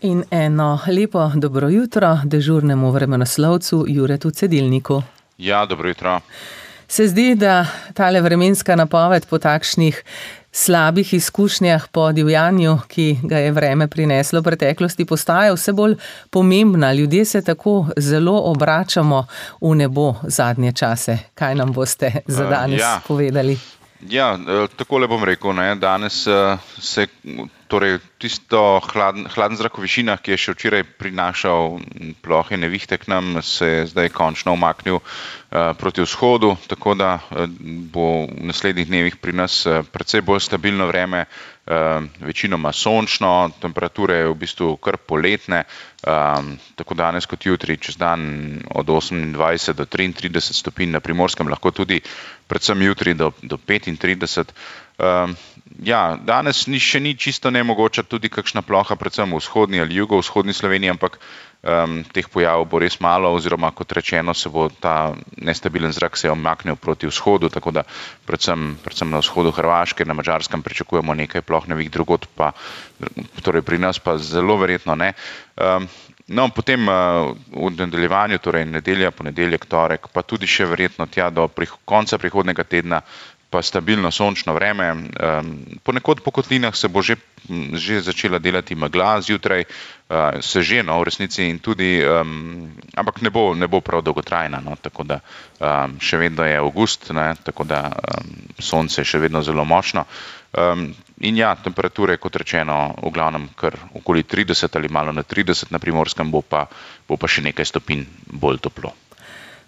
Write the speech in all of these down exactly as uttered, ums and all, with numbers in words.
In eno lepo dobro jutro dežurnemu vremenoslovcu Juretu Cedilniku. Ja, dobro jutro. Se zdi, da tale vremenska napoved po takšnih slabih izkušnjah po divjanju, ki ga je vreme prineslo v preteklosti, postaja vse bolj pomembna. Ljudje se tako zelo obračamo v nebo zadnje čase. Kaj nam boste za danes uh, ja. povedali? Ja, takole bom rekel, ne, danes se torej tisto hladen, hladen zrak v višinah, ki je še včeraj prinašal plohe nevihte k nam, se je zdaj končno umaknil uh, proti vzhodu, tako da uh, bo v naslednjih dnevih pri nas uh, precej bolj stabilno vreme, uh, večinoma sončno, temperature v bistvu kar poletne, um, tako danes kot jutri, čez dan od osemindvajset do triintrideset stopinj, na Primorskem lahko tudi predvsem jutri do, do petintrideset. Um, ja, danes ni, še ni čisto nemogoča tudi kakšna ploha, predvsem v vzhodni ali jugovzhodni Sloveniji, ampak um, teh pojavov bo res malo, oziroma kot rečeno, se bo ta nestabilen zrak se omaknil proti vzhodu, tako da predvsem, predvsem na vzhodu Hrvaške, na Madžarskem pričakujemo nekaj ploh nevih, drugod pa, torej pri nas pa zelo verjetno ne. Um, No, potem uh, v nadaljevanju, torej nedelja, ponedeljek, torek, pa tudi še verjetno tja do prih- konca prihodnega tedna, pa stabilno sončno vreme. Um, ponekod po kotlinah se bo že, že začela delati megla zjutraj, uh, se že, no, v resnici in tudi, um, ampak ne bo, ne bo prav dolgotrajna, no, tako da um, še vedno je avgust, ne, tako da um, sonce je še vedno zelo močno. Um, in ja, temperature, kot rečeno, v glavnem kar okoli trideset ali malo na trideset, na Primorskem bo pa, bo pa še nekaj stopinj bolj toplo.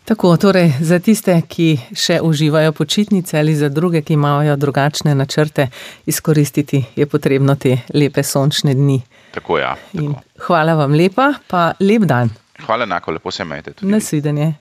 Tako, torej za tiste, ki še uživajo počitnice, ali za druge, ki imajo drugačne načrte, izkoristiti je potrebno te lepe sončne dni. Tako, ja. Tako. In hvala vam lepa, pa lep dan. Hvala enako, lepo se imejte tudi. Nasvidenje.